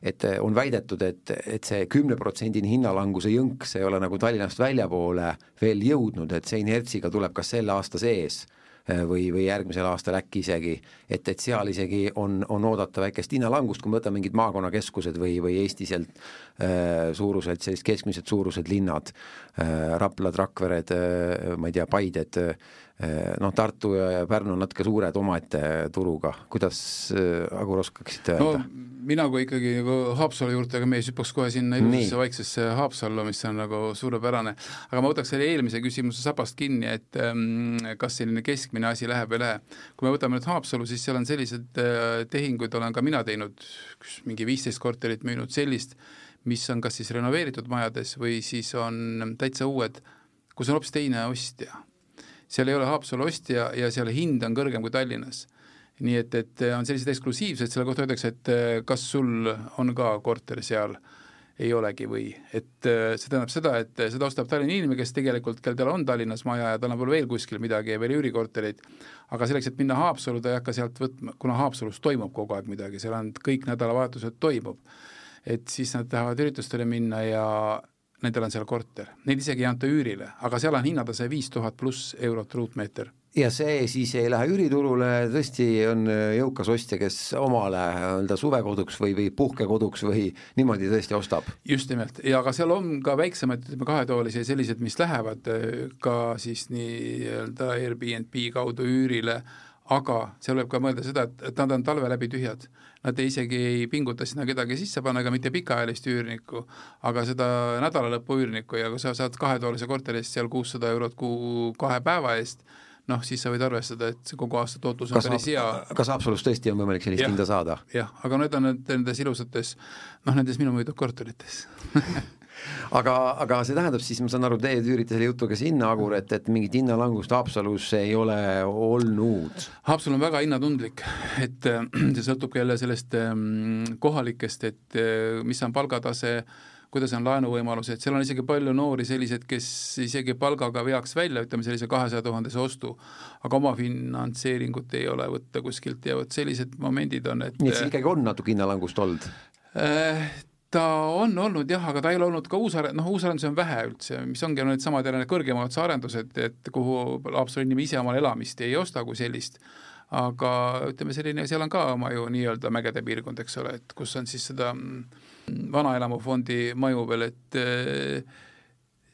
et on väidetud, et, et see kümne protsendini hinnalanguse jõnk, see ei ole nagu Tallinnast väljapoole veel jõudnud, et see inertsiga tuleb kas selle aasta sees või, või järgmisel aastal äkki isegi, et, et seal isegi on, on oodata väikest hinnalangust, kui me võtame mingid maakonnakeskused või, või Eestiselt äh, suurused, sellised keskmised suurused linnad, äh, Raplad, Rakvered, äh, ma ei tea, Paided, noh, Tartu ja Pärnu on natuke suured omaette turuga. Kuidas Agur oskaksite öelda? No, mina kui ikkagi nagu Haapsalu juurde, aga me ei süppaks kohe sinna ilusesse vaiksesse Haapsallu, mis on nagu suurepärane. Aga ma võtaks selle eelmise küsimuse sapast kinni, et ähm, kas selline keskmine asi läheb või lähe. Kui me võtame nüüd Haapsalu, siis seal on sellised äh, tehinguid, olen ka mina teinud mingi viisteist korterit müünud sellist, mis on kas siis renoveeritud majades või siis on täitsa uued, kus on hoopis teine ostja. Seal ei ole Haapsalu ostja ja seal hind on kõrgem kui Tallinnas. Nii et, et on sellised eksklusiivsed, selle kohta öeldakse, et kas sul on ka korter seal, ei olegi või. Et see tähendab seda, et seda ostab Tallinna inimene, kes tegelikult, kel tal on Tallinnas maja ja tal on veel kuskil midagi ja veel üürikorterid, aga selleks, et minna Haapsalu, ta ei hakka sealt võtma, kuna Haapsalus toimub kogu aeg midagi, seal on kõik nädalavahetused toimub, et siis nad tahavad üritustele minna ja nendel on seal korter. Neid isegi ei anta üürile, aga seal on hinnatase viis tuhat pluss eurot ruutmeeter. Ja see siis ei lähe üüriturule, tõesti on jõukas ostja, kes omale öelda suvekoduks või, või puhkekoduks või niimoodi tõesti ostab. Just nimelt, ja aga seal on ka väiksemad kahetoolisi ja sellised, mis lähevad ka siis nii-öelda Airbnb kaudu üürile, aga seal võib ka mõelda seda, et nad on talve läbi tühjad. Nad isegi ei pinguta sinna kedagi sisse panna, aga mitte pikaajalist üürnikku, aga seda nädalalõppu üürnikku ja kui sa saad kahetoolise korterist seal kuussada eurot kuu kahe päeva eest, noh, siis sa võid arvestada, et see kogu aasta tootlus on päris hea. Kas Haapsalus tõesti on võimalik sellist hinda saada? Jah, aga need on nendes ilusates, noh, nendes minu müüdud korterites. aga, aga see tähendab siis, ma saan aru, teie üürite selle jutuga sinna, Agur, et, et mingit hinnalangust Haapsalus ei ole olnud. Haapsalu on väga hinnatundlik, et see sõltub jälle sellest kohalikest, et mis on palgatase, kuidas on laenuvõimalused, seal on isegi palju noori sellised, kes isegi palgaga veaks välja, ütleme sellise kahesaja tuhandese ostu, aga oma finantseeringut ei ole võtta kuskilt ja võt sellised momendid on, et... Nii et see ikkagi on natuke hinnalangust olnud? Ta on olnud jah, aga ta ei ole olnud ka uusarendus, noh uusarendus on vähe üldse, mis ongi need samad jälle kõrgemad arendused, et kuhu Haapsalu inimene ise omal elamist ei osta kui sellist, aga ütleme selline, seal on ka oma ju nii-öelda mägede piirkond, eks ole, et kus on siis seda vanaelamufondi maju veel, et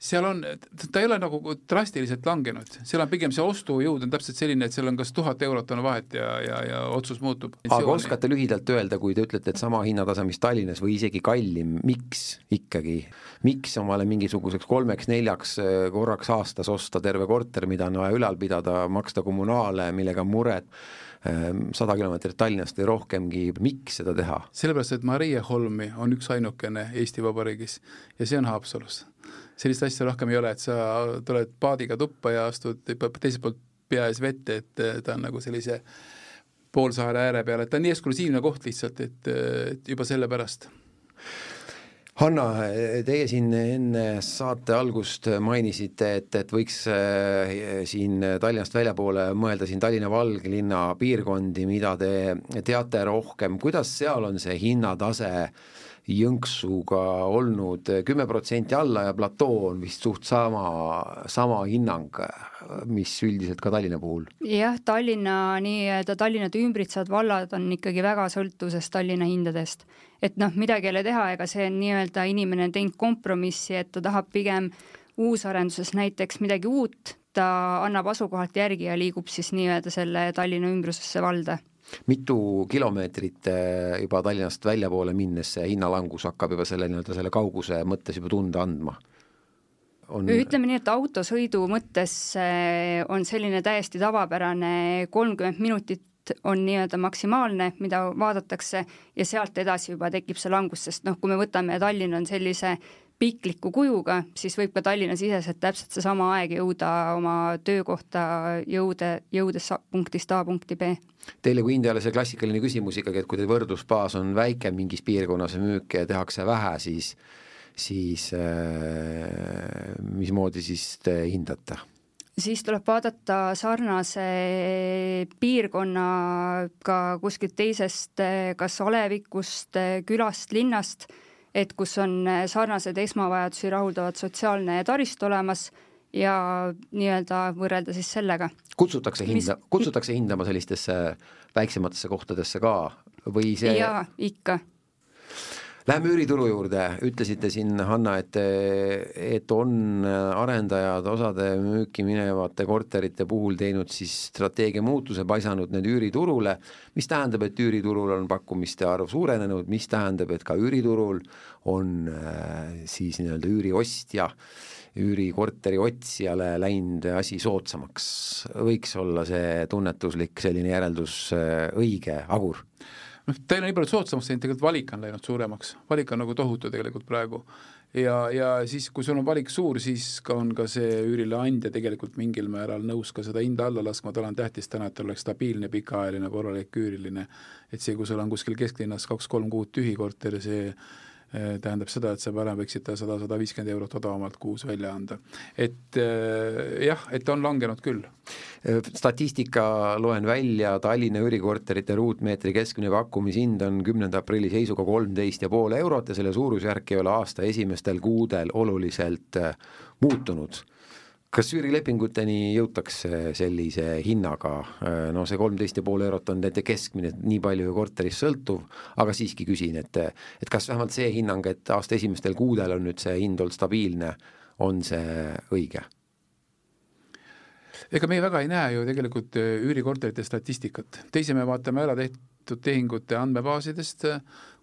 seal on, ta ei ole nagu drastiliselt langenud, seal on pigem see ostujõud on täpselt selline, et seal on kas tuhat eurot on vahet ja, ja, ja otsus muutub. Aga oskate lühidalt öelda, kui te ütlete, et sama hinnatase, mis Tallinnas või isegi kallim, miks ikkagi, miks omale mingisuguseks kolmeks, neljaks korraks aastas osta terve korter, mida on vaja ülal pidada, maksta kommunaale, millega muret, sada kilomeetrit Tallinnast või rohkemgi, miks seda teha? Sellepärast, et Maria Holmi on üks ainukene Eesti Vabariigis ja see on Haapsalus. Sellist asja rohkem ei ole, et sa tuled paadiga tuppa ja astud teiselt poolt pea ees vette, et ta on nagu sellise poolsaare ääre peal, et ta on nii eksklusiivne koht lihtsalt, et, et juba selle pärast. Hanna, teie siin enne saate algust mainisite, et, et võiks siin Tallinnast väljapoole mõelda siin Tallinna Valglinna piirkondi, mida te teate rohkem. Kuidas seal on see hinnatase Jõnksuga olnud kümme protsenti alla ja platoo on vist suht sama, sama hinnang, mis üldiselt ka Tallinna puhul? Jah, Tallinna, nii Tallinnat ümbritsevad vallad on ikkagi väga sõltuses Tallinna hindadest. Et noh, midagi ei ole teha, ega see on nii-öelda inimene teinud kompromissi, et ta tahab pigem uusarenduses näiteks midagi uut, ta annab asukohalt järgi ja liigub siis nii-öelda selle Tallinna ümbrusesse valda. Mitu kilomeetrit juba Tallinnast väljapoole minnes see hinnalangus hakkab juba selle, nii-öelda selle kauguse mõttes juba tunda andma? On... Ütleme nii, et autosõidu mõttes on selline täiesti tavapärane kolmkümmend minutit on nii-öelda maksimaalne, mida vaadatakse ja sealt edasi juba tekib see langus, sest noh, kui me võtame Tallinn on sellise pikliku kujuga, siis võib ka Tallinna siseselt täpselt see sama aeg jõuda oma töökohta jõude, jõudes punktist A punkti B. Teile kui Indiale see klassikaline küsimus ikkagi, et kui teil võrdlusbaas on väike mingis piirkonnas müük ja tehakse vähe, siis, siis äh, mismoodi siis te hindate? Siis tuleb vaadata sarnase piirkonnaga kuskilt teisest, kas alevikust, külast, linnast, et kus on sarnased esmavajadusi rahuldavad sotsiaalne tarist olemas ja nii-öelda võrrelda siis sellega. Kutsutakse, hinda, Mis... kutsutakse hindama sellistesse väiksematesse kohtadesse ka? Või see... Jaa, ikka. Läheme üürituru juurde, ütlesite siin, Hanna, et, et on arendajad osade müüki minevate korterite puhul teinud siis strateegia muutuse, paisanud need üüriturule, mis tähendab, et üüriturul on pakkumiste arv suurenenud, mis tähendab, et ka üüriturul on siis nii-öelda üüriostja, üürikorteri otsijale läinud asi soodsamaks. Võiks olla see tunnetuslik selline järeldus õige, Agur? noh, ta ei ole nii palju soodsamaks, tegelikult valik on läinud suuremaks, valik on nagu tohutu tegelikult praegu ja, ja siis, kui sul on valik suur, siis ka on ka see üürileandja tegelikult mingil määral nõus ka seda hinda alla laskma, tal on tähtis täna, et ta oleks stabiilne, pikaajaline, korralik üüriline, et see, kui sul on kuskil kesklinnas kaks-kolm kuud tühi korter, see tähendab seda, et sa parem võiksid ta sada sada viiskümmend eurot odavamalt kuus välja anda. Et jah, et on langenud küll. Statistika loen välja, Tallinna üürikorterite ruutmeetri keskmine pakkumishind on kümnenda aprilli seisuga kolmteist ja pool eurot ja selle suurusjärk ei ole aasta esimestel kuudel oluliselt muutunud. Kas üürilepinguteni jõutakse sellise hinnaga, no see kolmteist ja pool eurot on nende keskmine, nii palju korteris sõltuv, aga siiski küsin, et, et kas vähemalt see hinnang, et aasta esimestel kuudel on nüüd see hind olnud stabiilne, on see õige? Ega me väga ei näe ju tegelikult üürikorterite statistikat. Teise me vaatame ära tehtud tehingute andmebaasidest,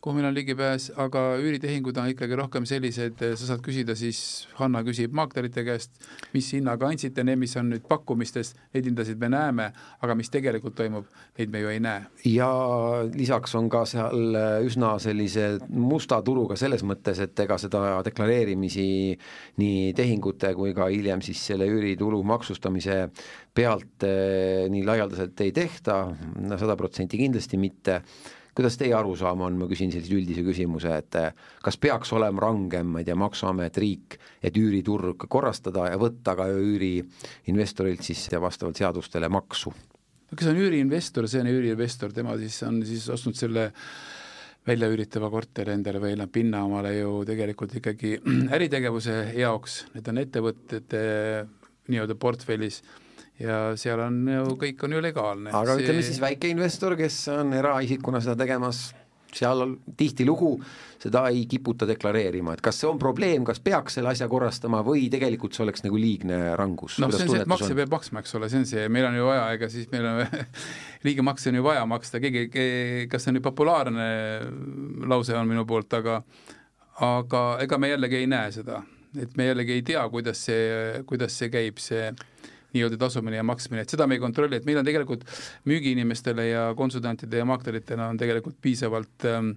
kuhu meil on ligipääs, aga üüritehingud on ikkagi rohkem sellised, sa saad küsida siis, Hanna küsib maaklerite käest, mis hinnaga andsite, need, mis on nüüd pakkumistest, neid hindasid me näeme, aga mis tegelikult toimub, neid me ju ei näe. Ja lisaks on ka seal üsna sellise musta turuga selles mõttes, et ega seda deklareerimisi nii tehingute kui ka hiljem siis selle üüritulu maksustamise pealt nii laialdaselt ei tehta, sada protsenti kindlasti mitte. Kuidas teie arusaam on, ma küsin sellise üldise küsimuse, et kas peaks olema rangem, ma ei tea, maksuamet, riik, et üüriturg korrastada ja võtta ka üüriinvestorilt siis ja vastavalt seadustele maksu? Kes on üüriinvestor, see on üüriinvestor, tema siis on siis ostnud selle välja üüritava korteri endale või pinna omale ju tegelikult ikkagi äritegevuse jaoks, need on ettevõtted nii-öelda portfellis ja seal on ju, kõik on ju legaalne. Aga see... ütleme siis väikeinvestor, kes on eraisikuna seda tegemas, seal on tihti lugu, seda ei kiputa deklareerima, et kas see on probleem, kas peaks selle asja korrastama või tegelikult see oleks nagu liigne rangus? No see on see, et makse peab maksma, eks ole, see on see, meil on ju vaja, ega siis meil on liige makse on ju vaja maksta, keegi, kas see on nüüd populaarne lause on minu poolt, aga, aga ega me jällegi ei näe seda, et me jällegi ei tea, kuidas see, kuidas see käib, see nii-öelda tasumine ja maksmine, et seda me ei kontrolli, et meil on tegelikult müügiinimestele ja konsultantide ja maakleritena on tegelikult piisavalt ähm,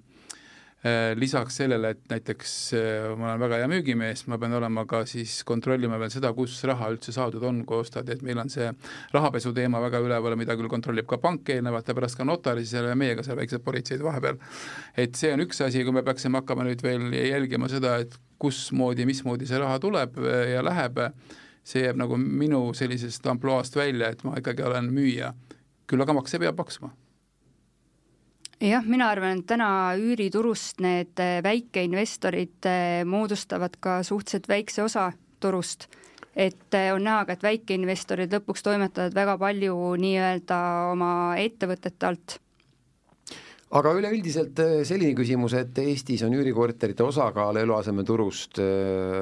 äh, lisaks sellele, et näiteks äh, ma olen väga hea müügimees, ma pean olema ka siis kontrollima veel seda, kus raha üldse saadud on, kui ostad, et meil on see rahapesu teema väga üleval, mida küll kontrollib ka pank eelnevalt ja pärast ka notari seal ja meiega seal väiksed politseid vahepeal. Et see on üks asi, kui me peaksime hakkama nüüd veel jälgima seda, et kusmoodi, mismoodi see raha tuleb ja läheb, see jääb nagu minu sellisest amploast välja, et ma ikkagi olen müüja. Küll aga makse peab maksma. Jah, mina arvan, et täna üüriturust need väikeinvestorid moodustavad ka suhteliselt väikse osa turust. Et on näha, et väikeinvestorid lõpuks toimetavad väga palju nii-öelda oma ettevõtete alt. Aga üleüldiselt selline küsimus, et Eestis on üürikorterite osakaal eluasemeturust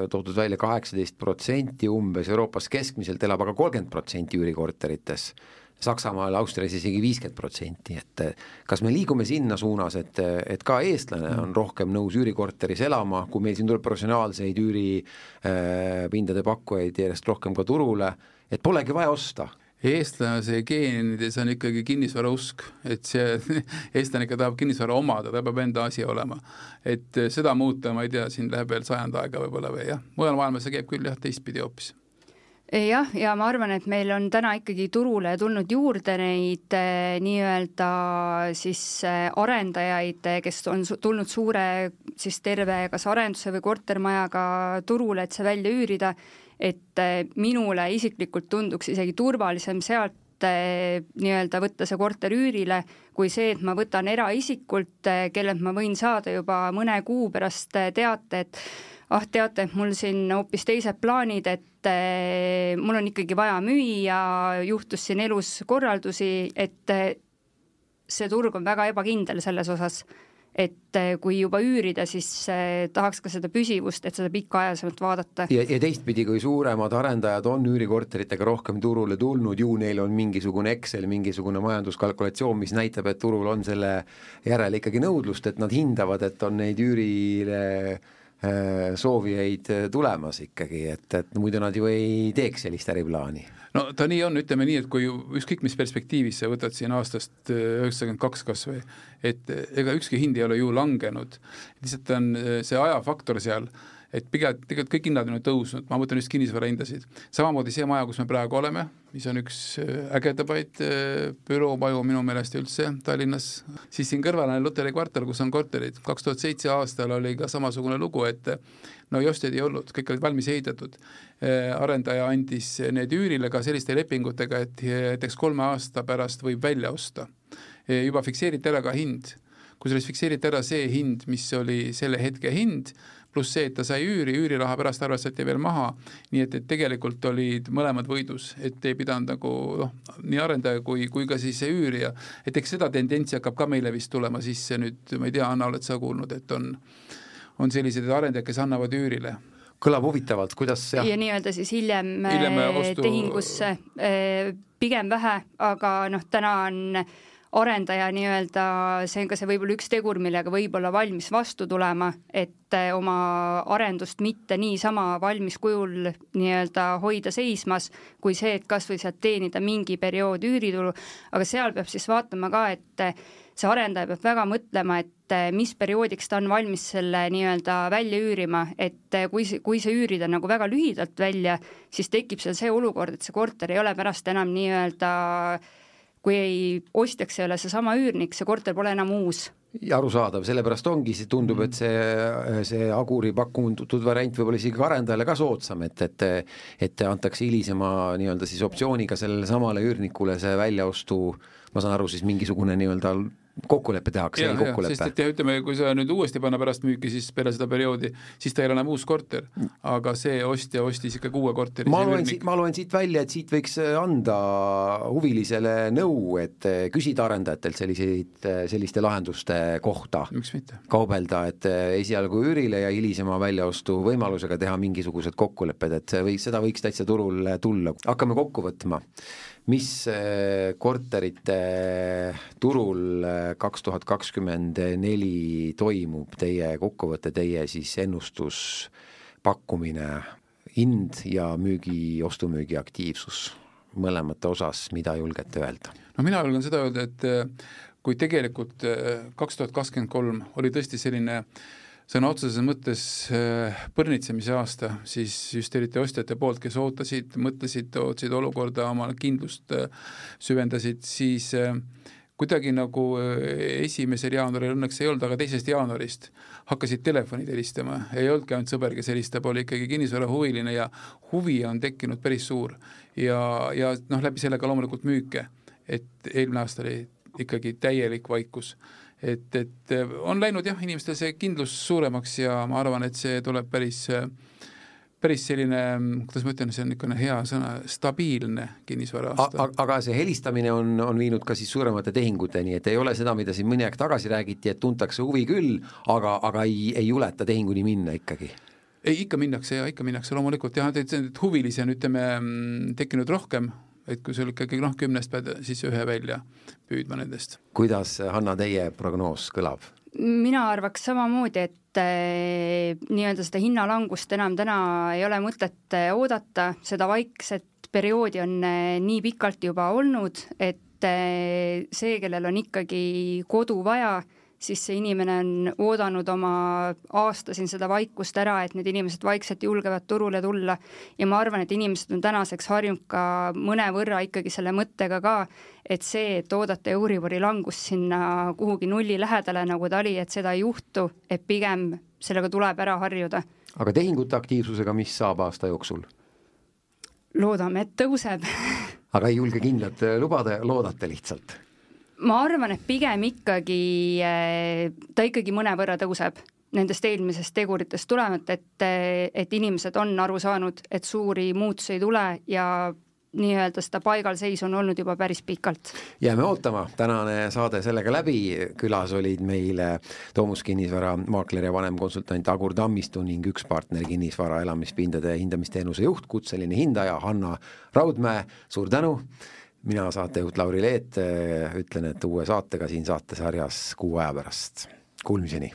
toodud välja kaheksateist protsenti umbes, Euroopas keskmiselt elab aga kolmkümmend protsenti üürikorterites, Saksamaal, Austrias isegi viiskümmend protsenti, et kas me liigume sinna suunas, et, et ka eestlane on rohkem nõus üürikorteris elama, kui meil siin tuleb professionaalseid üüripindade pakkujaid järjest rohkem ka turule, et polegi vaja osta? Eestlase geenides on ikkagi kinnisvara usk, et see eestlane ikka tahab kinnisvara omada, ta peab enda asi olema. Et seda muuta, ma ei tea, siin läheb veel sajand aega võib-olla või jah. Mujal maailmas see käib küll jah, teistpidi hoopis. Jah, ja ma arvan, et meil on täna ikkagi turule tulnud juurde neid nii-öelda siis arendajaid, kes on tulnud suure siis terve kas arenduse või kortermajaga turule, et see välja üürida, et minule isiklikult tunduks isegi turvalisem sealt nii-öelda võtta see korter üürile, kui see, et ma võtan eraisikult, kellelt ma võin saada juba mõne kuu pärast teate, et ah, teate, et mul siin hoopis teised plaanid, et mul on ikkagi vaja müüa, juhtus siin elus korraldusi, et see turg on väga ebakindel selles osas. Et kui juba üürida, siis tahaks ka seda püsivust, et seda pikaajasemalt vaadata. Ja, ja teistpidi, kui suuremad arendajad on üürikorteritega rohkem turule tulnud, ju neil on mingisugune Excel, mingisugune majanduskalkulatsioon, mis näitab, et turul on selle järele ikkagi nõudlust, et nad hindavad, et on neid üürile soovijaid tulemas ikkagi, et, et muidu nad ju ei teeks sellist äriplaani. No ta nii on, ütleme nii, et kui ükskõik mis perspektiivis sa võtad siin aastast üheksakümmend kaks kas või, et ega ükski hind ei ole ju langenud, lihtsalt on see ajafaktor seal, et pigem tegelikult kõik hinnad on tõusnud, ma mõtlen just kinnisvara hindasid. Samamoodi see maja, kus me praegu oleme, mis on üks ägedabaid büroomaju minu meelest üldse Tallinnas, siis siin kõrval on Luteri kvartal, kus on korterid. kaks tuhat seitse aastal oli ka samasugune lugu, et no jostjaid ei olnud, kõik olid valmis ehitatud. Arendaja andis need üürile ka selliste lepingutega, et näiteks kolme aasta pärast võib välja osta. Juba fikseeriti ära ka hind. Kui sellest fikseeriti ära see hind, mis oli selle hetke hind, pluss see, et ta sai üüri, üüriraha pärast arvestati veel maha, nii et, et tegelikult olid mõlemad võidus, et ei pidanud nagu noh, nii arendaja kui, kui ka siis see üürija, et eks seda tendentsi hakkab ka meile vist tulema sisse nüüd, ma ei tea, Anna, oled sa kuulnud, et on, on sellised arendajad, kes annavad üürile. Kõlab huvitavalt, kuidas jah? Ja nii-öelda siis hiljem, hiljem ostu... tehingusse pigem vähe, aga noh, täna on arendaja nii-öelda, see on ka see võib-olla üks tegur, millega võib-olla valmis vastu tulema, et oma arendust mitte niisama valmis kujul nii-öelda hoida seismas, kui see, et kas või sealt teenida mingi periood üüritulu, aga seal peab siis vaatama ka, et see arendaja peab väga mõtlema, et mis perioodiks ta on valmis selle nii-öelda välja üürima, et kui see, kui see üürida nagu väga lühidalt välja, siis tekib seal see olukord, et see korter ei ole pärast enam nii-öelda kui ei ostjaks ei ole see sama üürnik, see korter pole enam uus. Ja arusaadav, sellepärast ongi, see tundub, et see, see Aguri pakkunud variant võib-olla isegi arendajale ka soodsam, et, et, et antakse hilisema nii-öelda siis optsiooniga sellele samale üürnikule see väljaostu, ma saan aru, siis mingisugune nii-öelda kokkuleppe tehakse, ja, ei kokkuleppe. Sest et ütleme, kui sa nüüd uuesti panna pärast müüki, siis peale seda perioodi, siis ta ei ole enam uus korter, aga see ostja ostis ikka uue korteri. Ma loen, siit, ma loen siit välja, et siit võiks anda huvilisele nõu, et küsida arendajatelt selliseid, selliste lahenduste kohta. Miks mitte? Kaubelda, et esialgu üürile ja hilisema väljaostu võimalusega teha mingisugused kokkulepped, et või, seda võiks täitsa turul tulla. Hakkame kokku võtma. Mis korterite turul kaks tuhat kakskümmend neli toimub, teie kokkuvõte, teie siis ennustus, pakkumine, hind ja müügi, ostumüügi aktiivsus mõlemate osas, mida julgete öelda? No mina julgen seda öelda, et kui tegelikult kaks tuhat kakskümmend kolm oli tõesti selline sõna otseses mõttes põrnitsemise aasta, siis just eriti ostjate poolt, kes ootasid, mõtlesid, ootsid olukorda, oma kindlust süvendasid, siis kuidagi nagu esimesel jaanuaril õnneks ei olnud, aga teisest jaanuarist hakkasid telefonid helistama. Ei olnudki ainult sõber, kes helistab, oli ikkagi kinnisvara huviline ja huvi on tekkinud päris suur. Ja, ja noh, läbi sellega loomulikult müüke, et eelmine aasta oli ikkagi täielik vaikus. Et, et on läinud jah, inimestel see kindlus suuremaks ja ma arvan, et see tuleb päris, päris selline, kuidas ma ütlen, see on niisugune hea sõna, stabiilne kinnisvara aasta. Aga see helistamine on, on viinud ka siis suuremate tehinguteni, et ei ole seda, mida siin mõni aeg tagasi räägiti, et tuntakse huvi küll, aga, aga ei, ei juleta tehinguni minna ikkagi. Ei, ikka minnakse ja ikka minnakse loomulikult. Ja et huvilisi on, ütleme, tekkinud rohkem, et kui sul ikkagi noh, kümnest pead siis ühe välja püüdma nendest. Kuidas, Hanna, teie prognoos kõlab? Mina arvaks samamoodi, et eh, nii-öelda seda hinnalangust enam täna ei ole mõtet oodata, seda vaikset perioodi on eh, nii pikalt juba olnud, et eh, see, kellel on ikkagi kodu vaja, siis see inimene on oodanud oma aasta siin seda vaikust ära, et need inimesed vaikselt julgevad turule tulla ja ma arvan, et inimesed on tänaseks harjunud ka mõne võrra ikkagi selle mõttega ka, et see, et oodata Euribori langus sinna kuhugi nulli lähedale, nagu ta oli, et seda ei juhtu, et pigem sellega tuleb ära harjuda. Aga tehingute aktiivsusega, mis saab aasta jooksul? Loodame, et tõuseb. Aga ei julge kindlalt lubada, loodate lihtsalt? Ma arvan, et pigem ikkagi ta ikkagi mõne võrra tõuseb nendest eelmisest teguritest tulemata, et, et inimesed on aru saanud, et suuri muutusi ei tule ja nii-öelda seda paigalseis on olnud juba päris pikalt. Jääme ootama, tänane saade sellega läbi, külas olid meile Toomus Kinnisvara maakler ja vanemkonsultant Agur Tammistu ning üks partner kinnisvara elamispindade hindamisteenuse juht, kutseline hindaja Hanna Raudmäe, suur tänu! Mina saatejuht Lauri Leet ütlen, et uue saatega siin saatesarjas kuu aja pärast. Kuulmiseni!